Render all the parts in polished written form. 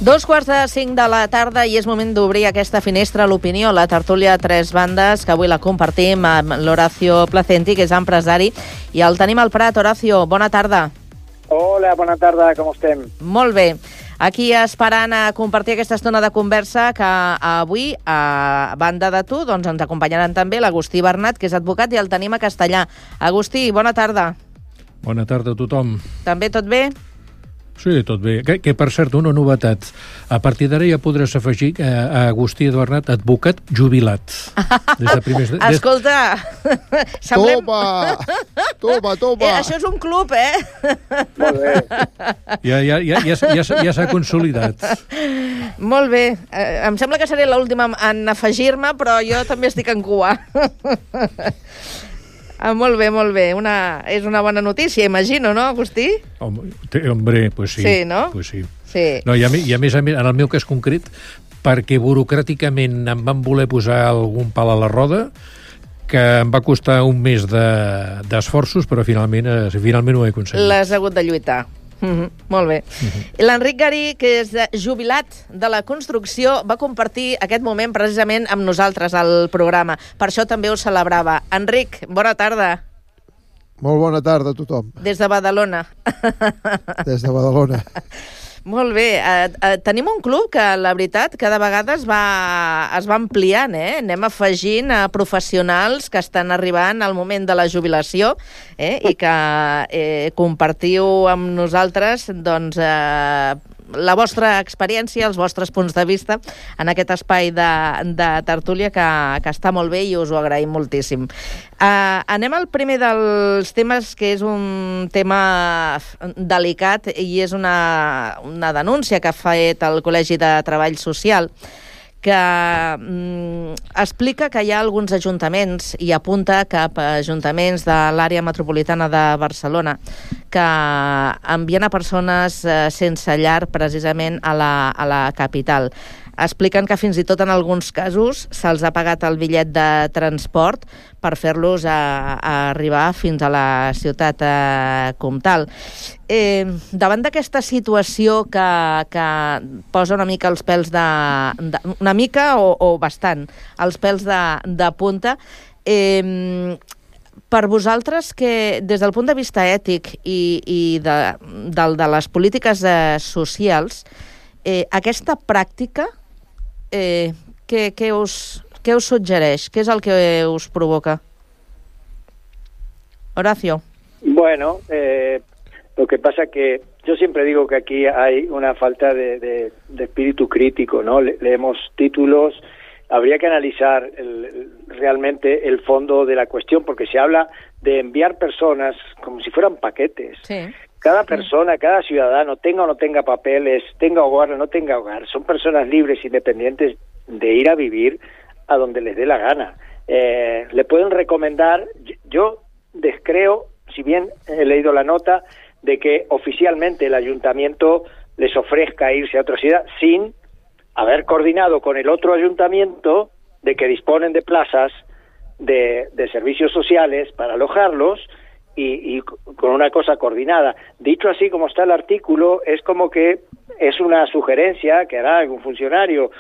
2:45 de la tarda i és moment d'obrir aquesta finestra a l'opinió, la tertúlia a tres bandes, que avui la compartim amb l'Horacio Placenti, que és empresari, i el tenim al Prat. Horacio, bona tarda. Hola, bona tarda, com estem? Molt bé. Aquí esperant a compartir aquesta estona de conversa que avui, a banda de tu, doncs ens acompanyaran també l'Agustí Bernat, que és advocat, i el tenim a Castellà. Agustí, bona tarda. Bona tarda a tothom. També tot bé? Sí, tot bé. Que per cert, una novetat. A partir d'ara ja podràs afegir a Agustí Bernat advocat jubilat. Escolta, semblem... Toma! Això és un club, Molt bé. Ja s'ha consolidat. Molt bé. Em sembla que seré l'última en afegir-me, però jo també estic en cua. Molt bé, molt bé. És una bona notícia, imagino, no, Agustí? Hombre, pues sí. Sí, no? Pues sí. Sí. No, i a més, en el meu cas concret, perquè burocràticament em van voler posar algun pal a la roda, que em va costar un mes d'esforços, però finalment ho he aconseguit. L'has hagut de lluitar. Molt bé. L'Enric Garí, que és jubilat de la construcció, va compartir aquest moment precisament amb nosaltres al programa. Per això també ho celebrava. Enric, bona tarda. Molt bona tarda a tothom. Des de Badalona. Des de Badalona. Molt bé. Tenim un club que, la veritat, cada vegada es va ampliant, Anem afegint a professionals que estan arribant al moment de la jubilació i que compartiu amb nosaltres doncs, la vostra experiència, els vostres punts de vista en aquest espai de tertúlia que està molt bé i us ho agraïm moltíssim. Anem al primer dels temes, que és un tema delicat i és una denúncia que ha fet el Col·legi de Treball Social, que explica que hi ha alguns ajuntaments i apunta cap a ajuntaments de l'àrea metropolitana de Barcelona que envien a persones sense llar precisament a la capital. Expliquen que fins i tot en alguns casos se'ls ha pagat el bitllet de transport per fer-los arribar fins a la ciutat comtal. Davant d'aquesta situació que posa una mica els pèls una mica o bastant els pèls de punta, per vosaltres, que des del punt de vista ètic i de les polítiques socials, aquesta pràctica què us suggereix? Què és el que us provoca? Horacio. Bueno, lo que pasa que yo siempre digo que aquí hay una falta de espíritu crítico, ¿no? Leemos títulos, habría que analizar realmente el fondo de la cuestión, porque se habla de enviar personas como si fueran paquetes. Sí. Cada persona, cada ciudadano, tenga o no tenga papeles, tenga hogar o no tenga hogar, son personas libres, independientes de ir a vivir a donde les dé la gana. Le pueden recomendar, yo descreo, si bien he leído la nota, de que oficialmente el ayuntamiento les ofrezca irse a otra ciudad sin haber coordinado con el otro ayuntamiento de que disponen de plazas de servicios sociales para alojarlos, y con una cosa coordinada. Dicho así como está el artículo, es como que es una sugerencia que hará algún funcionario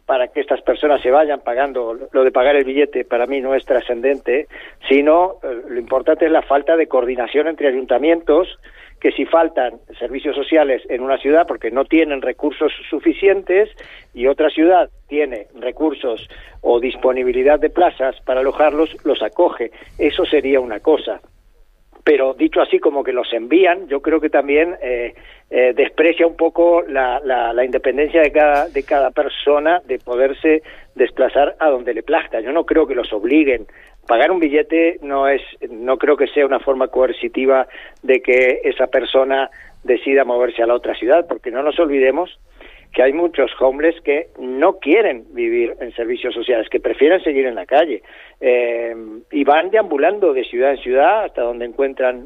para que estas personas se vayan pagando. Lo de pagar el billete para mí no es trascendente, sino lo importante es la falta de coordinación entre ayuntamientos, que si faltan servicios sociales en una ciudad porque no tienen recursos suficientes y otra ciudad tiene recursos o disponibilidad de plazas para alojarlos, los acoge. Eso sería una cosa. Pero dicho así como que los envían, yo creo que también desprecia un poco la independencia de cada persona de poderse desplazar a donde le plazca. Yo no creo que los obliguen. Pagar un billete no creo que sea una forma coercitiva de que esa persona decida moverse a la otra ciudad, porque no nos olvidemos que hay muchos homeless que no quieren vivir en servicios sociales, que prefieren seguir en la calle y van deambulando de ciudad en ciudad hasta donde encuentran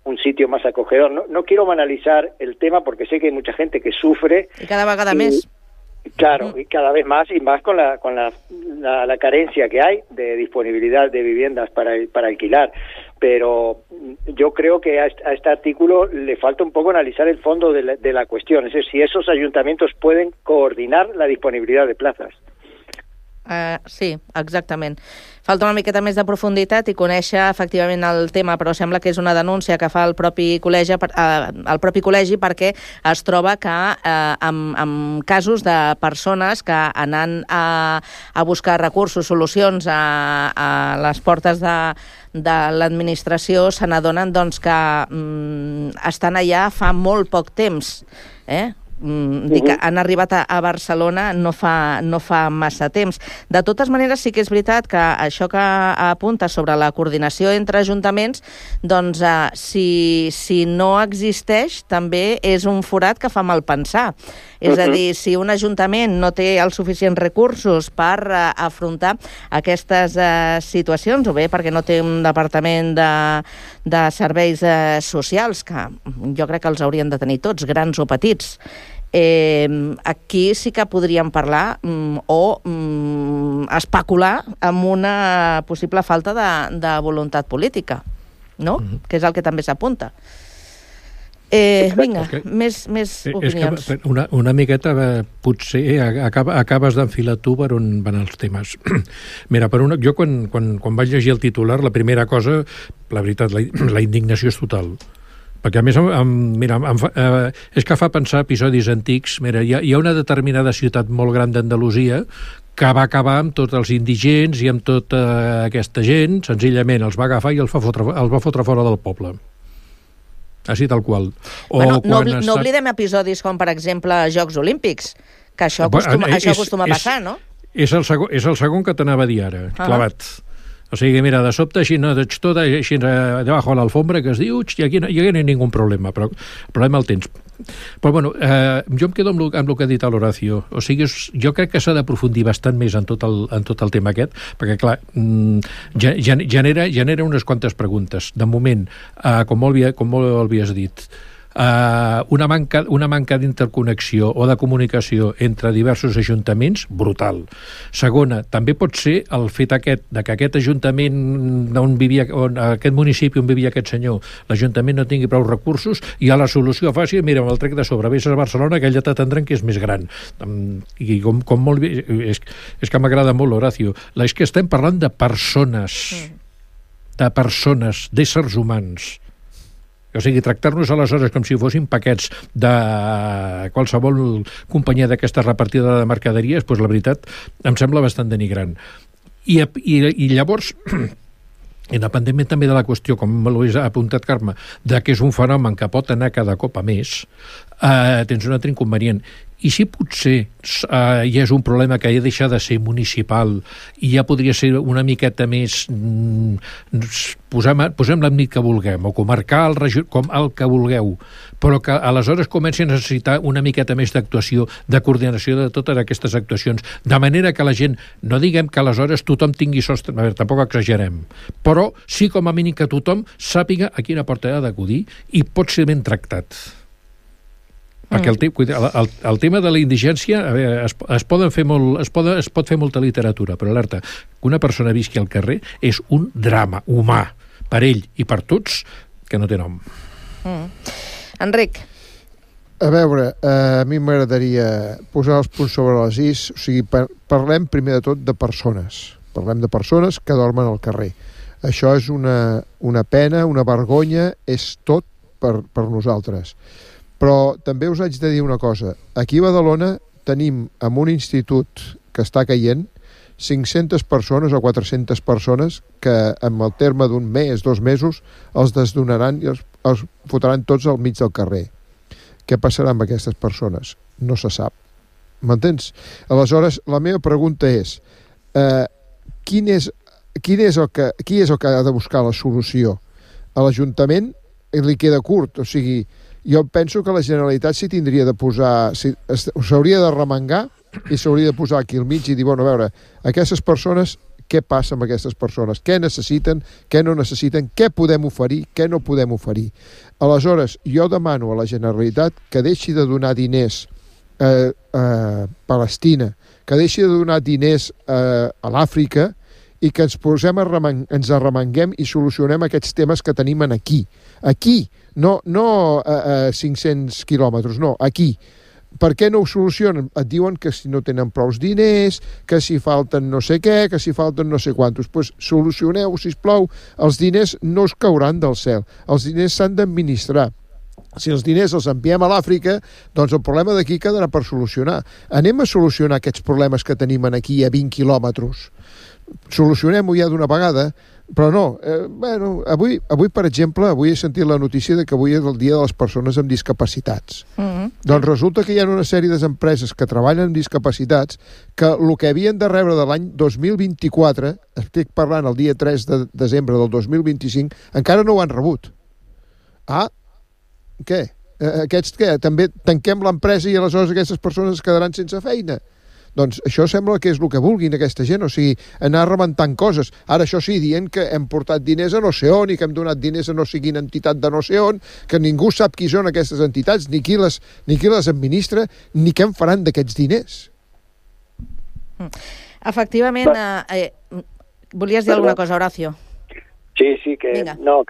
un sitio más acogedor. No quiero banalizar el tema porque sé que hay mucha gente que sufre. Y cada vegada més. Claro, y cada vez más, y más con la carencia que hay de disponibilidad de viviendas para alquilar. pero yo creo que a este artículo le falta un poco analizar el fondo de la cuestión, es decir, si esos ayuntamientos pueden coordinar la disponibilidad de plazas. Sí, exactament. Falta una miqueta més de profunditat i conèixer efectivament el tema, però sembla que és una denúncia que fa el propi col·legi perquè es troba que en casos de persones que anant a buscar recursos, solucions a les portes de l'administració se n'adonen doncs, que estan allà fa molt poc temps, dic que han arribat a Barcelona no fa massa temps. De totes maneres, sí que és veritat que això que apunta sobre la coordinació entre ajuntaments, doncs si no existeix, també és un forat que fa mal pensar. És a dir, si un ajuntament no té els suficients recursos per afrontar aquestes situacions, o bé perquè no té un departament de serveis socials, que jo crec que els haurien de tenir tots, grans o petits, aquí sí que podríem parlar o especular amb una possible falta de voluntat política, no? Que és el que també s'apunta. Vinga, més opinions. És que una miqueta potser acabes d'enfilar tu per on van els temes. Mira, jo quan vaig llegir el titular, la primera cosa, la veritat, la indignació és total. Perquè a més, és que fa pensar episodis antics. Mira, hi ha una determinada ciutat molt gran d'Andalusia que va acabar amb tots els indigents i amb tota aquesta gent, senzillament els va agafar i els va fotre fora del poble. Així tal qual. No oblidem episodis com, per exemple, Jocs Olímpics, que això acostuma a passar, no? És el segon que t'anava a dir ara, clavat. O sigui, mira, de sobte així, no, tot així debajo de l'alfombra, que es diu, i aquí no hi ha ningú problema, però el problema el tens. Però, bueno, jo em quedo amb el que ha dit l'Horacio. O sigui, jo crec que s'ha d'aprofundir bastant més en tot el tema aquest, perquè, clar, genera unes quantes preguntes. De moment, com molt havies dit, una manca d'interconnexió o de comunicació entre diversos ajuntaments, brutal. Segona, també pot ser el fet aquest, de que aquest ajuntament aquest municipi on vivia aquest senyor, l'Ajuntament no tingui prou recursos i a la solució fàcil, mira, amb el trec de sobre, vés a Barcelona, que ella t'atendran que és més gran. I com molt bé, és que m'agrada molt l'Horacio. És que estem parlant de persones, d'éssers humans. O sigui, tractar-nos aleshores com si fossin paquets de qualsevol companyia d'aquesta repartida de mercaderies, doncs la veritat em sembla bastant denigrant. I llavors, independentment també de la qüestió, com m'ho has apuntat, Carme, de que és un fenomen que pot anar cada cop a més, tens un altre inconvenient. I si potser ja és un problema que ja deixa de ser municipal i ja podria ser una miqueta més posem l'àmbit que vulguem o comarcal, com el que vulgueu, però que aleshores comenci a necessitar una miqueta més d'actuació, de coordinació de totes aquestes actuacions, de manera que la gent, no diguem que aleshores tothom tingui sostre, a veure, tampoc exagerem, però sí com a mínim que tothom sàpiga a quina porta ha d'acudir i pot ser ben tractat. Perquè el tema de la indigència, a veure, es pot fer molta literatura, però alerta, que una persona visqui al carrer és un drama humà, per ell i per tots, que no té nom. Enric. A veure, a mi m'agradaria posar els punts sobre les is, o sigui, parlem primer de tot de persones. Parlem de persones que dormen al carrer. Això és una pena, una vergonya, és tot per nosaltres. Però també us haig de dir una cosa. Aquí a Badalona tenim en un institut que està caient 500 persones o 400 persones que en el terme d'un mes, 2 mesos, els desdonaran i els fotran tots al mig del carrer. Què passarà amb aquestes persones? No se sap. M'entens? Aleshores, la meva pregunta és qui és el que ha de buscar la solució? A l'Ajuntament li queda curt, o sigui, jo penso que la Generalitat s'hauria de remengar i s'hauria de posar aquí al mig i dir, bueno, a veure, aquestes persones, què passa amb aquestes persones? Què necessiten? Què no necessiten? Què podem oferir? Què no podem oferir? Aleshores, jo demano a la Generalitat que deixi de donar diners a Palestina, que deixi de donar diners a l'Àfrica i que ens arremanguem i solucionem aquests temes que tenim aquí. Aquí, no a 500 quilòmetres, no, aquí. Per què no ho solucionen? Et diuen que si no tenen prous diners, que si falten no sé què, que si falten no sé quantos. Doncs solucioneu, sisplau, els diners no us cauran del cel. Els diners s'han d'administrar. Si els diners els enviem a l'Àfrica, doncs el problema d'aquí quedarà per solucionar. Anem a solucionar aquests problemes que tenim aquí a 20 quilòmetres. Solucionem-ho ja d'una vegada, però no. Avui, per exemple, avui he sentit la notícia de que avui és el dia de les persones amb discapacitats. Doncs resulta que hi ha una sèrie d'empreses que treballen amb discapacitats que el que havien de rebre de l'any 2024, estic parlant el dia 3 de desembre del 2025, encara no ho han rebut. Què? Aquests què? També tanquem l'empresa i aleshores aquestes persones es quedaran sense feina? Doncs això sembla que és el que vulguin aquesta gent, o sigui, anar rebentant coses. Ara, això sí, dient que hem portat diners a no sé on i que hem donat diners a no sé quina entitat de no sé on, que ningú sap qui són aquestes entitats, ni qui les administra, ni què en faran d'aquests diners. Efectivament, volies dir alguna cosa, Horacio? Sí, que no,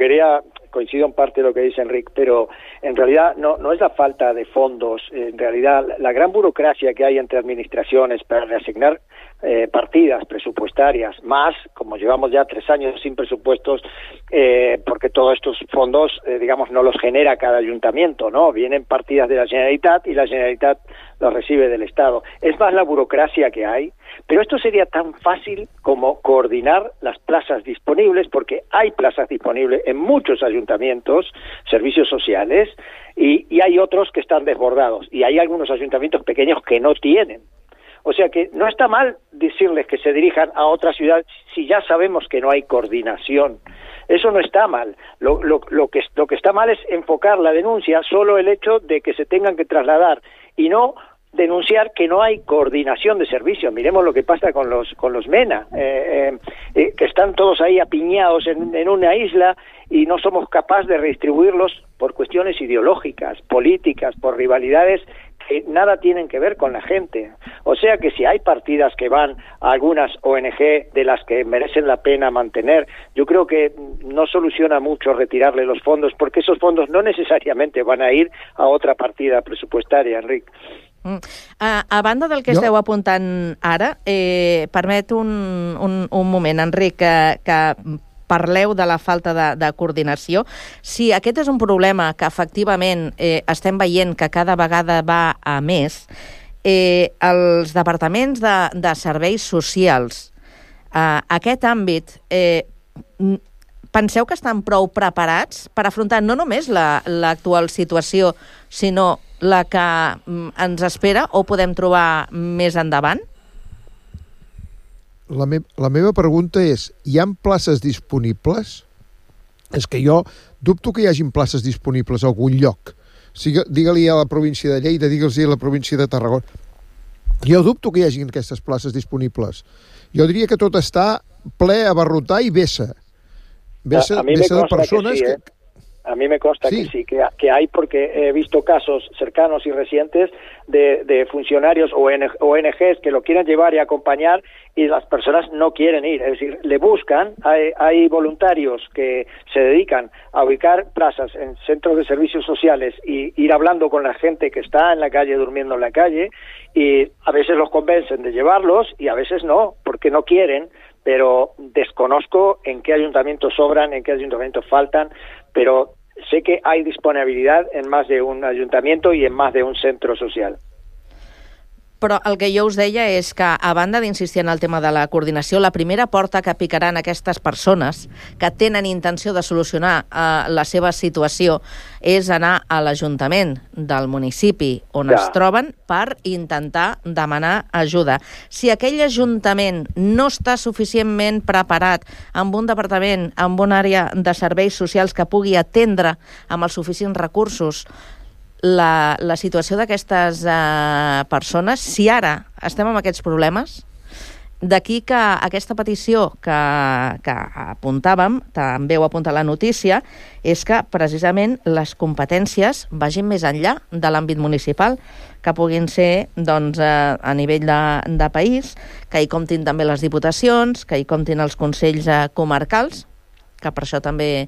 coincido en parte de lo que dice Enrique, pero en realidad no es la falta de fondos, en realidad la gran burocracia que hay entre administraciones para reasignar partidas presupuestarias, más, como llevamos ya 3 años sin presupuestos, porque todos estos fondos, digamos, no los genera cada ayuntamiento, ¿no? Vienen partidas de la Generalitat y la Generalitat los recibe del Estado. Es más la burocracia que hay, pero esto sería tan fácil como coordinar las plazas disponibles, porque hay plazas disponibles en muchos ayuntamientos, servicios sociales, y hay otros que están desbordados, y hay algunos ayuntamientos pequeños que no tienen. O sea que no está mal decirles que se dirijan a otra ciudad si ya sabemos que no hay coordinación. Eso no está mal. Lo que está mal es enfocar la denuncia solo el hecho de que se tengan que trasladar y no denunciar que no hay coordinación de servicios. Miremos lo que pasa con los MENA, que están todos ahí apiñados en una isla y no somos capaces de redistribuirlos por cuestiones ideológicas, políticas, por rivalidades que nada tienen que ver con la gente. O sea que si hay partidas que van a algunas ONG de las que merecen la pena mantener, yo creo que no soluciona mucho retirarle los fondos, porque esos fondos no necesariamente van a ir a otra partida presupuestaria, Enric. A banda del que esteu apuntant ara, permet un moment, Enric, que parleu de la falta de coordinació. Si aquest és un problema que efectivament estem veient que cada vegada va a més, els departaments de serveis socials, aquest àmbit, penseu que estan prou preparats per afrontar no només l'actual situació, sinó la que ens espera o podem trobar més endavant? La meva pregunta és, hi ha places disponibles? És que jo dubto que hi hagin places disponibles a algun lloc. Digue-li a la província de Lleida, digue-li a la província de Tarragona. Jo dubto que hi hagin aquestes places disponibles. Jo diria que tot està ple, abarrotar i vessa. Vessa de persones que... A mí me consta que sí, que hay, porque he visto casos cercanos y recientes de funcionarios o ONGs que lo quieren llevar y acompañar y las personas no quieren ir. Es decir, le buscan, hay voluntarios que se dedican a ubicar plazas en centros de servicios sociales y ir hablando con la gente que está en la calle, durmiendo en la calle, y a veces los convencen de llevarlos y a veces no, porque no quieren, pero desconozco en qué ayuntamientos sobran, en qué ayuntamientos faltan, pero sé que hay disponibilidad en más de un ayuntamiento y en más de un centro social. Però el que jo us deia és que, a banda d'insistir en el tema de la coordinació, la primera porta que picaran aquestes persones que tenen intenció de solucionar la seva situació és anar a l'Ajuntament del municipi on es troben per intentar demanar ajuda. Si aquell Ajuntament no està suficientment preparat amb un departament, amb una àrea de serveis socials que pugui atendre amb els suficients recursos la situació d'aquestes persones, si ara estem amb aquests problemes, D'aquí que aquesta petició que apuntàvem, també ho apunta la notícia, és que precisament les competències vagin més enllà de l'àmbit municipal, que puguin ser doncs, a nivell de país, que hi comptin també les diputacions, que hi comptin els consells comarcals, que per això també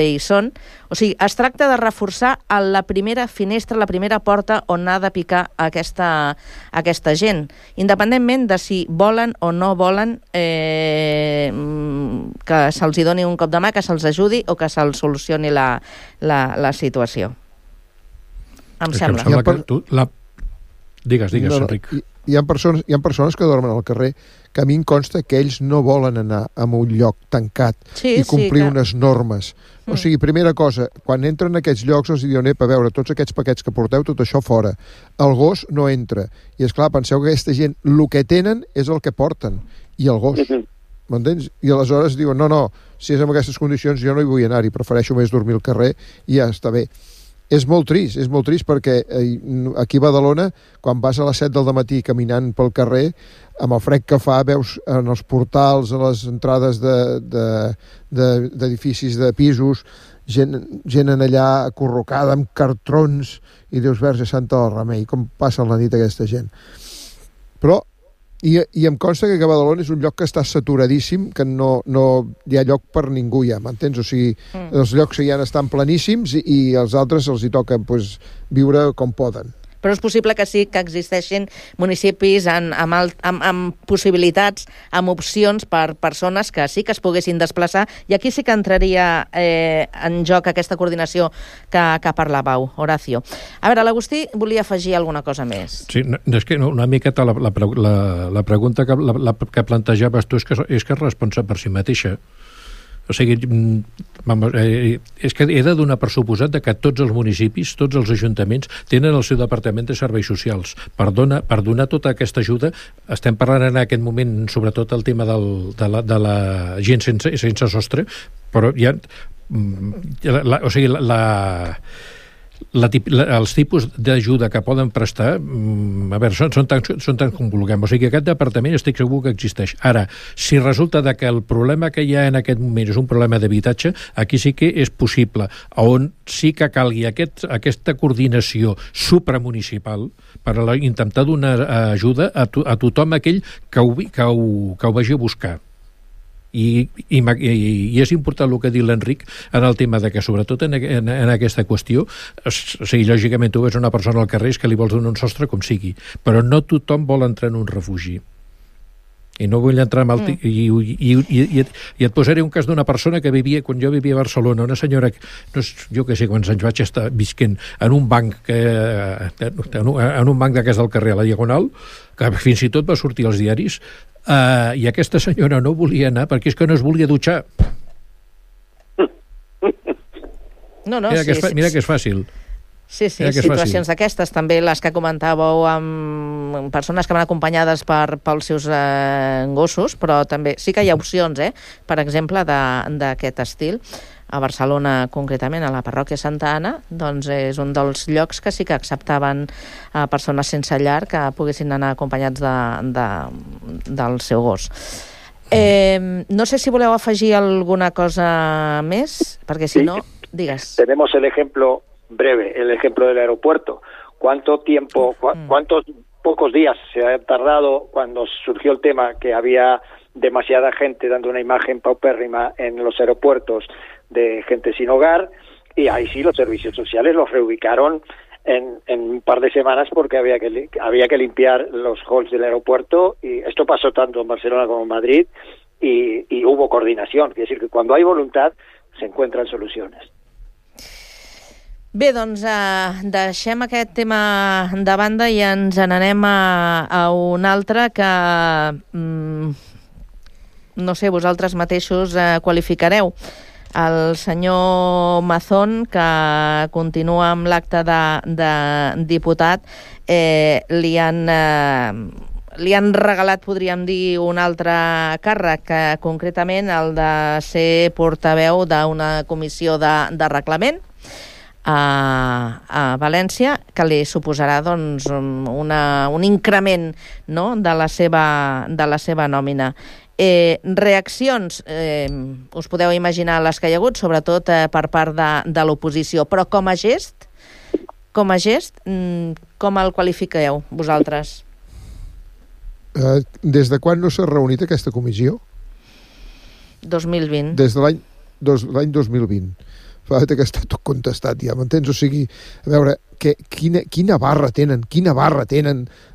hi són. O sigui, es tracta de reforçar la primera finestra, la primera porta on ha de picar aquesta gent, independentment de si volen o no volen que se'ls doni un cop de mà, que se'ls ajudi o que se'ls solucioni la situació. Em sembla. Digues, Enric. Hi ha persones que dormen al carrer que a mi em consta que ells no volen anar a un lloc tancat i complir unes normes. O sigui, primera cosa, quan entren en aquests llocs els diuen, a veure, tots aquests paquets que porteu, tot això fora. El gos no entra. I, esclar, penseu que aquesta gent, el que tenen és el que porten. I el gos. M'entens? I aleshores diuen, no, si és en aquestes condicions jo no hi vull anar-hi, prefereixo més dormir al carrer i ja està bé. És molt trist perquè aquí a Badalona, quan vas a les 7 del matí caminant pel carrer, amb el fred que fa, veus en els portals, a les entrades d'edificis de pisos, gent en allà acurrucada amb cartrons, i dius, Verge Santa del Remei, com passa la nit aquesta gent. Però I em consta que Badalona és un lloc que està saturadíssim, que no hi ha lloc per ningú ja, m'entens? O sigui, els llocs que hi ha estan planíssims i als altres els hi toca viure com poden. Però és possible que sí que existeixin municipis amb possibilitats, amb opcions per persones que sí que es poguessin desplaçar, i aquí sí que entraria en joc aquesta coordinació que parlàveu, Horacio. A veure, l'Agustí volia afegir alguna cosa més. Sí, és que una miqueta la pregunta que plantejaves tu és que es responsa per si mateixa. O sigui, és que he de donar per suposat que tots els municipis, tots els ajuntaments tenen el seu departament de serveis socials. Per donar tota aquesta ajuda, estem parlant en aquest moment sobretot el tema de la gent sense sostre, però ja... O sigui, els tipus d'ajuda que poden prestar, a veure, són tan com vulguem. O sigui, aquest departament estic segur que existeix. Ara, si resulta que el problema que hi ha en aquest moment és un problema d'habitatge, aquí sí que és possible, on sí que calgui aquesta coordinació supramunicipal per intentar donar ajuda a tothom aquell que ho vagi a buscar. I és important el que ha dit l'Enric en el tema de que, sobretot en aquesta qüestió, o sigui, lògicament tu ves una persona al carrer que li vols donar un sostre com sigui, però no tothom vol entrar en un refugi. I no vull entrar en i et posaré un cas d'una persona que vivia, quan jo vivia a Barcelona, una senyora, jo que sé quants anys vaig estar visquent en un banc d'aquest del carrer a la Diagonal, que fins i tot va sortir als diaris, i aquesta senyora no volia anar perquè és que no es volia dutxar. Mira que és fàcil. Sí, situacions d'aquestes, també les que comentàveu amb persones que van acompanyades pels seus gossos, però també sí que hi ha opcions, per exemple, d'aquest estil. A Barcelona, concretament, a la parròquia Santa Anna, doncs és un dels llocs que sí que acceptaven persones sense llar que poguessin anar acompanyats del seu gos. No sé si voleu afegir alguna cosa més, perquè si no, digues. Tenemos el ejemplo breve, el ejemplo del aeropuerto. ¿Cuántos pocos días se ha tardado cuando surgió el tema que había demasiada gente dando una imagen paupérrima en los aeropuertos de gente sin hogar? Y ahí sí los servicios sociales los reubicaron en un par de semanas porque había que limpiar los halls del aeropuerto, y esto pasó tanto en Barcelona como en Madrid, y hubo coordinación. Quiere decir que cuando hay voluntad se encuentran soluciones. Bé, doncs deixem aquest tema de banda i ens n'anem a un altre que no sé, vosaltres mateixos qualificareu. El senyor Mazón, que continua amb l'acte de diputat, li han regalat, podríem dir, un altre càrrec, concretament el de ser portaveu d'una comissió de reglament. a València, que li suposarà doncs, un increment, no?, de la seva nòmina. Reaccions, us podeu imaginar les que hi ha hagut, sobretot per part de l'oposició, però com a gest, com el qualifiqueu vosaltres? Des de quan no s'ha reunit aquesta comissió? 2020. Des de l'any 2020. Fa que està tot contestat ja, m'entens? O sigui, a veure, quina barra tenen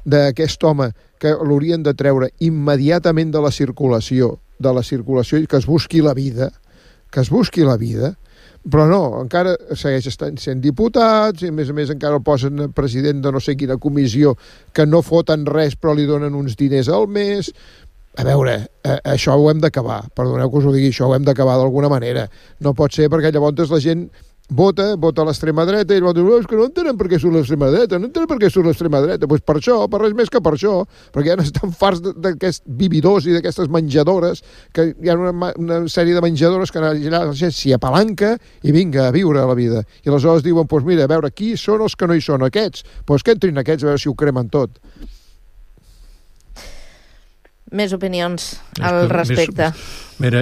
d'aquest home que l'haurien de treure immediatament de la circulació i que es busqui la vida, però no, encara segueix sent diputats i a més encara el posen president de no sé quina comissió que no foten res però li donen uns diners al mes. A veure, això ho hem d'acabar, perdoneu que us ho digui, això ho hem d'acabar d'alguna manera. No pot ser perquè llavors la gent vota a l'extrema dreta i llavors és que no entenen per què surt l'extrema dreta, Doncs per això, per res més que per això, perquè ja estan farts d'aquests vividors i d'aquestes menjadores, que hi ha una sèrie de menjadores que la gent s'hi apalanca i vinga a viure la vida. I aleshores diuen, doncs mira, a veure, qui són els que no hi són aquests? Doncs que entrin aquests a veure si ho cremen tot. Més opinions al respecte. Mira,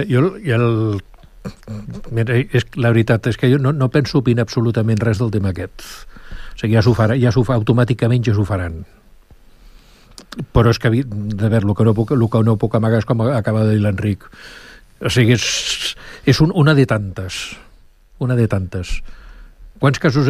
la veritat és que jo no penso opinar absolutament res del tema aquest. O sigui, automàticament ja s'ho faran. Però és que, de veure, el que no puc amagar és com acaba de dir l'Enric. O sigui, és una de tantes. Quants casos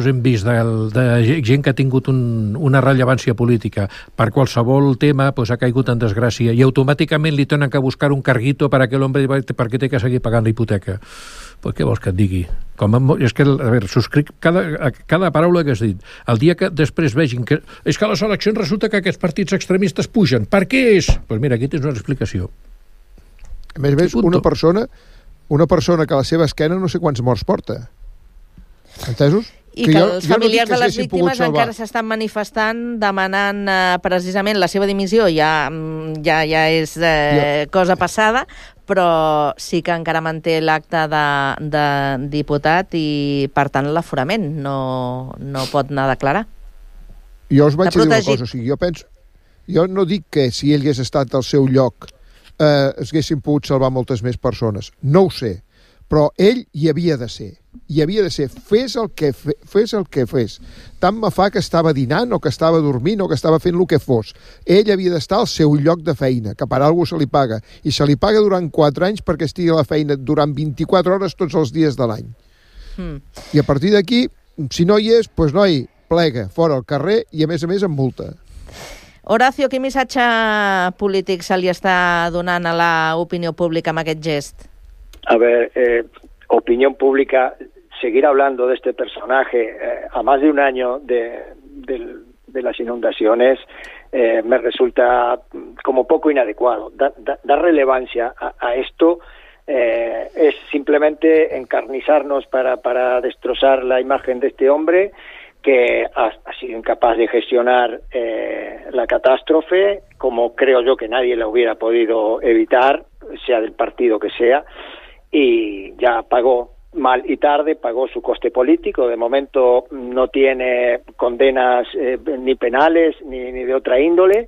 hem vist de gent que ha tingut una rellevància política per qualsevol tema, ha caigut en desgràcia i automàticament li tenen que buscar un carguito per a aquell home perquè té que seguir pagant la hipoteca? Pues què vols que et digui? És que, a veure, subscric cada paraula que has dit. El dia que després vegin que és que a les eleccions resulta que aquests partits extremistes pugen. Per què és? Doncs mira, aquí tens una explicació. A més, una persona que a la seva esquena no sé quants morts porta. Entesos? I que els familiars de les víctimes encara s'estan manifestant demanant precisament la seva dimissió. Ja és cosa passada, però sí que encara manté l'acte de diputat i, per tant, l'aforament no pot anar a declarar. Jo us vaig dir una cosa, o sigui, jo no dic que si ell hagués estat al seu lloc es haguessin pogut salvar moltes més persones. No ho sé. Però ell hi havia de ser. Fes el que fes. Tant me fa que estava dinant o que estava dormint o que estava fent el que fos. Ell havia d'estar al seu lloc de feina, que per alguna cosa se li paga. I se li paga durant 4 anys perquè estigui a la feina durant 24 hores tots els dies de l'any. I a partir d'aquí, si no hi és, doncs noi, plega, fora al carrer i a més amb multa. Horacio, quin missatge polític se li està donant a l'opinió pública amb aquest gest? A ver, opinión pública, seguir hablando de este personaje a más de un año de las inundaciones me resulta como poco inadecuado. Dar relevancia a esto es simplemente encarnizarnos para destrozar la imagen de este hombre que ha sido incapaz de gestionar la catástrofe, como creo yo que nadie la hubiera podido evitar, sea del partido que sea, y ya pagó mal y tarde, pagó su coste político. De momento no tiene condenas ni penales ni de otra índole,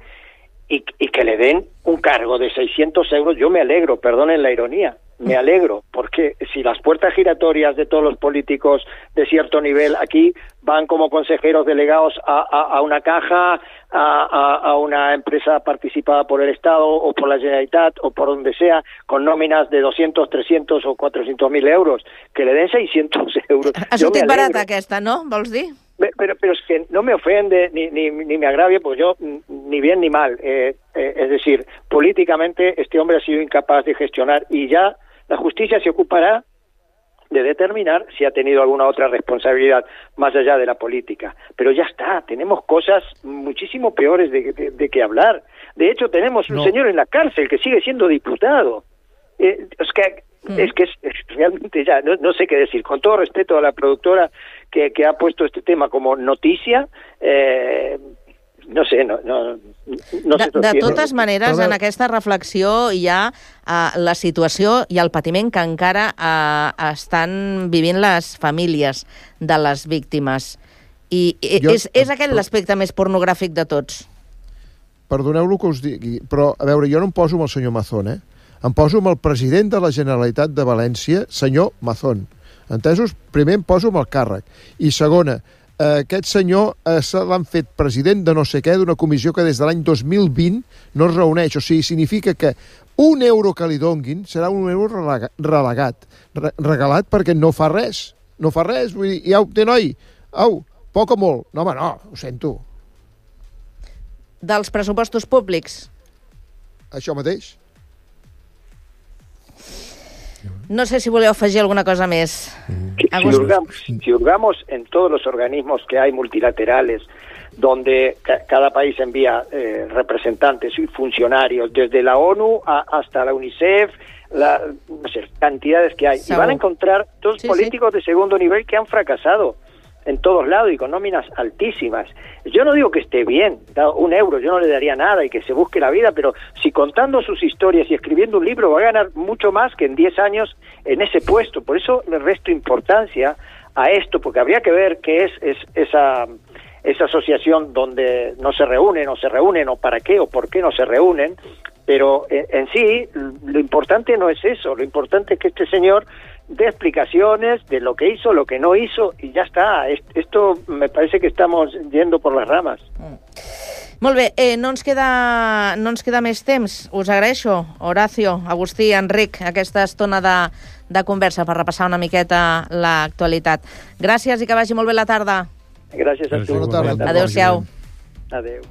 y que le den un cargo de 600 euros, yo me alegro, perdonen la ironía, me alegro, porque si las puertas giratorias de todos los políticos de cierto nivel aquí van como consejeros delegados a una caja, a una empresa participada por el Estado o por la Generalitat o por donde sea, con nóminas de 200, 300 o 400.000 euros, que le den 600 euros. Ha sortit barata aquesta, no? Vols dir? Pero es que no me ofende ni me agravia, porque yo ni bien ni mal. Es decir, políticamente este hombre ha sido incapaz de gestionar y ya la justicia se ocupará de determinar si ha tenido alguna otra responsabilidad más allá de la política. Pero ya está, tenemos cosas muchísimo peores de que hablar. De hecho, tenemos un señor en la cárcel que sigue siendo diputado. Es que realmente ya no sé qué decir. Con todo respeto a la productora que ha puesto este tema como noticia, no sé, no sé. De totes maneres, en aquesta reflexió hi ha la situació i el patiment que encara estan vivint les famílies de les víctimes. I és aquest l'aspecte més pornogràfic de tots. Perdoneu-lo que us digui, però, a veure, jo no em poso amb el senyor Mazón, Em poso amb el president de la Generalitat de València, senyor Mazón. Entesos? Primer em poso amb el càrrec. I segona, aquest senyor l'han fet president de no sé què, d'una comissió que des de l'any 2020 no es reuneix. O sigui, significa que un euro que li donguin serà un euro regalat perquè no fa res. No fa res, vull dir, ja ho té, noi. Au, poc o molt? No, home, no, ho sento. Dels pressupostos públics? Això mateix. No sé si voleu afegir alguna cosa més. Si hurgamos en todos los organismos que hay multilaterales, donde cada país envía representantes y funcionarios, desde la ONU hasta la UNICEF, no sé, cantidades que hay, y van a encontrar dos políticos de segundo nivel que han fracasado en todos lados y con nóminas altísimas. Yo no digo que esté bien, un euro, yo no le daría nada y que se busque la vida, pero si contando sus historias y escribiendo un libro va a ganar mucho más que en 10 años en ese puesto. Por eso le resto importancia a esto, porque habría que ver qué es esa asociación donde no se reúnen o para qué o por qué no se reúnen, pero en sí lo importante no es eso, lo importante es que este señor dé explicaciones de lo que hizo, lo que no hizo, i ja està. Esto me parece que estamos yendo por las ramas. Molt bé, no ens queda més temps. Us agraeixo, Horacio, Agustí, Enric, aquesta estona de conversa per repassar una miqueta l'actualitat. Gràcies i que vagi molt bé la tarda. Gràcies a tu. Bona tarda. Adéu-siau. Adéu.